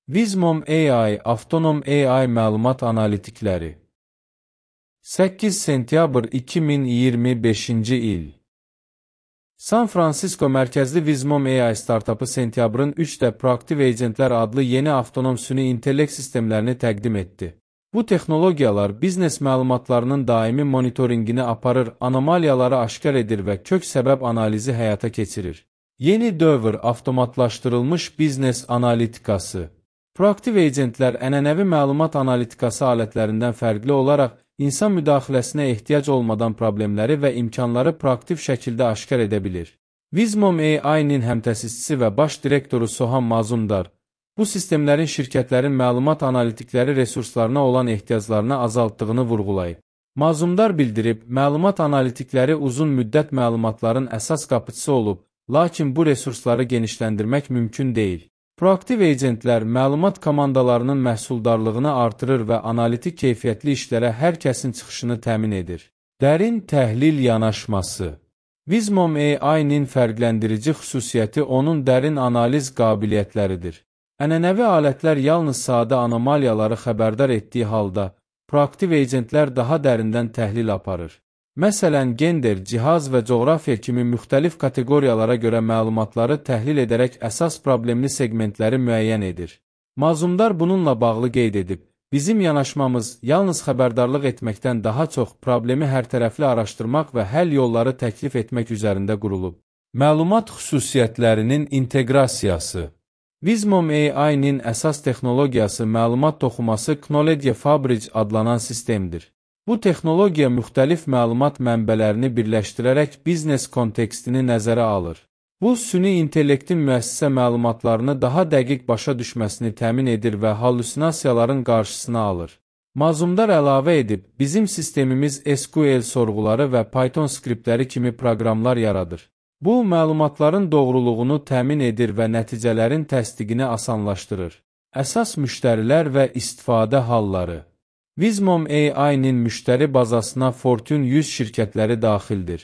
Vizmom AI, avtonom AI məlumat analitikləri. 8 sentyabr 2025-ci il. San Fransisko mərkəzli Vizmom AI startapı sentyabrın 3-də Proactive Agentlər adlı yeni avtonom süni intellekt sistemlərini təqdim etdi. Bu texnologiyalar biznes məlumatlarının daimi monitoringini aparır, anomaliyaları aşkar edir və kök səbəb analizi həyata keçirir. Yeni dövr avtomatlaşdırılmış biznes analitikası. Proaktiv agentlər ənənəvi məlumat analitikası alətlərindən fərqli olaraq insan müdaxiləsinə ehtiyac olmadan problemləri və imkanları proaktiv şəkildə aşkar edə bilir. Vizmom AI-nin həmtəsisçisi və baş direktoru Soham Mazumdar, bu sistemlərin şirkətlərin məlumat analitikləri resurslarına olan ehtiyaclarını azaltdığını vurğulayıb. Mazumdar bildirib, məlumat analitikləri uzun müddət məlumatların əsas qapıçısı olub, lakin bu resursları genişləndirmək mümkün deyil. Proaktiv agentlər məlumat komandalarının məhsuldarlığını artırır və analitik keyfiyyətli işlərə hər kəsin çıxışını təmin edir. Dərin təhlil yanaşması. Vizmom AI-nin fərqləndirici xüsusiyyəti onun dərin analiz qabiliyyətləridir. Ənənəvi alətlər yalnız sadə anomaliyaları xəbərdar etdiyi halda, proaktiv agentlər daha dərindən təhlil aparır. Məsələn, gender, cihaz və coğrafiya kimi müxtəlif kateqoriyalara görə məlumatları təhlil edərək əsas problemli segmentləri müəyyən edir. Mazumdar bununla bağlı qeyd edib, bizim yanaşmamız yalnız xəbərdarlıq etməkdən daha çox problemi hərtərəfli araşdırmaq və həll yolları təklif etmək üzərində qurulub. Məlumat xüsusiyyətlərinin inteqrasiyası. Vizmom AI-nin əsas texnologiyası məlumat toxuması Knowledge Fabric adlanan sistemdir. Bu texnologiya müxtəlif məlumat mənbələrini birləşdirərək biznes kontekstini nəzərə alır. Bu, süni intellektin müəssisə məlumatlarını daha dəqiq başa düşməsini təmin edir və hallüsinasiyaların qarşısını alır. Mazumdar əlavə edib, bizim sistemimiz SQL sorğuları və Python skriptləri kimi proqramlar yaradır. Bu, məlumatların doğruluğunu təmin edir və nəticələrin təsdiqini asanlaşdırır. Əsas müştərilər və istifadə halları. Vizmom AI-nin müştəri bazasına Fortune 100 şirkətləri daxildir.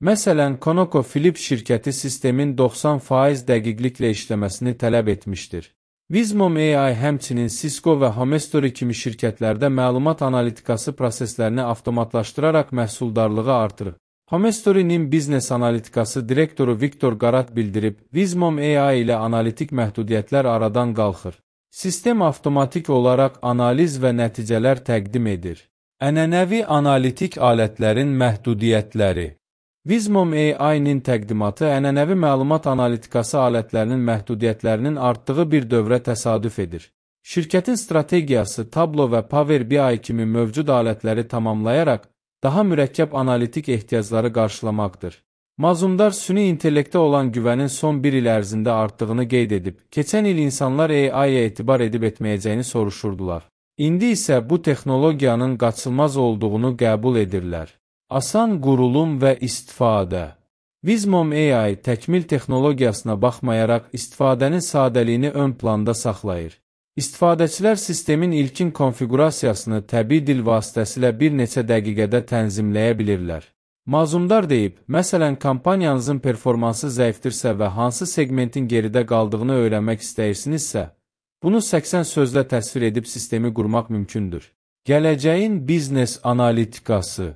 Məsələn, ConocoPhillips şirkəti sistemin 90% dəqiqliklə işləməsini tələb etmişdir. Vizmom AI həmçinin Cisco və Homestory kimi şirkətlərdə məlumat analitikası proseslərini avtomatlaşdıraraq məhsuldarlığı artırır. Homestory-nin biznes analitikası direktoru Viktor Garat bildirib, Vizmom AI ilə analitik məhdudiyyətlər aradan qalxır. Sistem avtomatik olaraq analiz və nəticələr təqdim edir. Ənənəvi analitik alətlərin məhdudiyyətləri. Vizmom AI-nin təqdimatı ənənəvi məlumat analitikası alətlərinin məhdudiyyətlərinin artdığı bir dövrə təsadüf edir. Şirkətin strategiyası Tableau və Power BI kimi mövcud alətləri tamamlayaraq daha mürəkkəb analitik ehtiyacları qarşılamaqdır. Mazumdar süni intellektə olan güvənin son bir il ərzində artdığını qeyd edib, keçən il insanlar AI-yə etibar edib etməyəcəyini soruşurdular. İndi isə bu texnologiyanın qaçılmaz olduğunu qəbul edirlər. Asan qurulum və istifadə. Vizmom AI təkmil texnologiyasına baxmayaraq istifadənin sadəliyini ön planda saxlayır. İstifadəçilər sistemin ilkin konfiqurasiyasını təbii dil vasitəsilə bir neçə dəqiqədə tənzimləyə bilirlər. Mazumdar deyib, məsələn, kampaniyanızın performansı zəifdirsə və hansı segmentin geridə qaldığını öyrənmək istəyirsinizsə, bunu 80 sözlə təsvir edib sistemi qurmaq mümkündür. Gələcəyin biznes analitikası.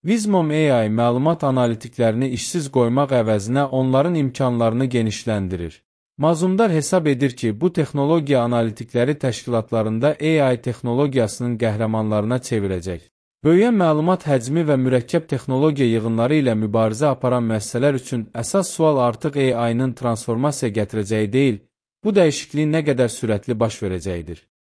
Vizmom AI məlumat analitiklərini işsiz qoymaq əvəzinə onların imkanlarını genişləndirir. Mazumdar hesab edir ki, bu texnologiya analitikləri təşkilatlarında AI texnologiyasının qəhrəmanlarına çevirəcək. Böyüyən məlumat həcmi və mürəkkəb texnologiya yığınları ilə mübarizə aparan müəssisələr üçün əsas sual artıq AI-nın transformasiya gətirəcəyi deyil, bu dəyişikliyin nə qədər sürətli baş verəcəyidir.